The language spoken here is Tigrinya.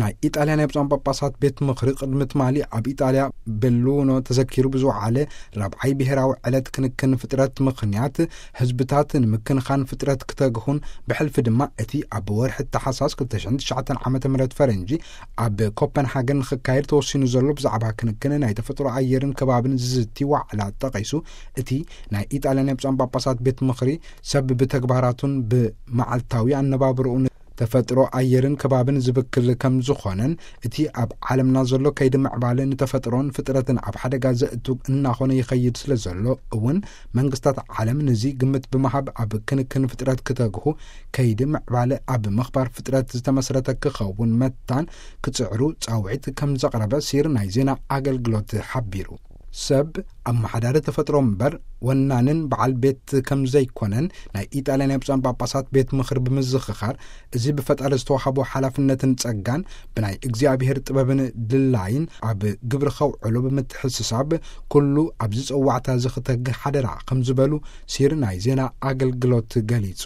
ናይ ኢጣልያ ናይ ብፁዓን ጳጳሳት ቤት ምኽሪ ቅድሚ ትማሊ ኣብ ኢጣልያ ቤሉኖ ተዘኪሩ ብዝወዓለ ራብዓይ ብሔራዊ ዕለት ክንክን ፍጥረት ምኽንያት፣ ህዝብታት ንምክንኻን ፍጥረት ክተግሁን፣ ብሕልፊ ድማ እቲ ኣብ ወርሒ ተሓሳስ ክልተ ሽሕን ትሽዓተን ዓመተ ምህረት ፈረንጂ ኣብ ኮፐንሃገን ንኽካየድ ተወሲኑ ዘሎ ብዛዕባ ክንክን ናይ ተፈጥሮ ኣየርን ከባብን ዝዝቲ ዋዕላ ጠቒሱ፣ እቲ ናይ ኢጣልያ ናይ ብፁዓን ጳጳሳት ቤት ምኽሪ ሰብ ብተግባራቱን ብመዓልታዊ ኣነባብርኡን ተፈጥሮ ኣየርን ከባብን ዝብክል ከም ዝኾነን፣ እቲ ኣብ ዓለምና ዘሎ ከይዲ ምዕባለ ንተፈጥሮን ፍጥረትን ኣብ ሓደጋ ዘእቱ እናኾነ ይኸይድ ስለ ዘሎ እውን፣ መንግስታት ዓለም ንዚ ግምት ብምሃብ ኣብ ክንክን ፍጥረት ክተግሁ፣ ከይዲ ምዕባለ ኣብ ምኽባር ፍጥረት ዝተመስረተ ክኸውን መታን ክጽዕሩ ጻውዒት ከም ዘቕረበ ሲር ናይ ዜና ኣገልግሎት ሓቢሩ። ሰብ ኣመሓዳሪ ተፈጥሮ እምበር ወናንን በዓል ቤት ከም ዘይኮነን ናይ ኢጣልያ ናይ ብፁዓን ጳጳሳት ቤት ምኽሪ ብምዝኽኻር፣ እዚ ብፈጣሪ ዝተዋህቦ ሓላፍነትን ጸጋን ብናይ እግዚኣብሔር ጥበብን ድላይን ኣብ ግብሪ ከውዕሎ ብምትሕስሳብ፣ ኩሉ ኣብዚ ጸዋዕታ እዚ ክተግህ ሓደራ ከም ዝበሉ ሲር ናይ ዜና ኣገልግሎት ገሊጹ።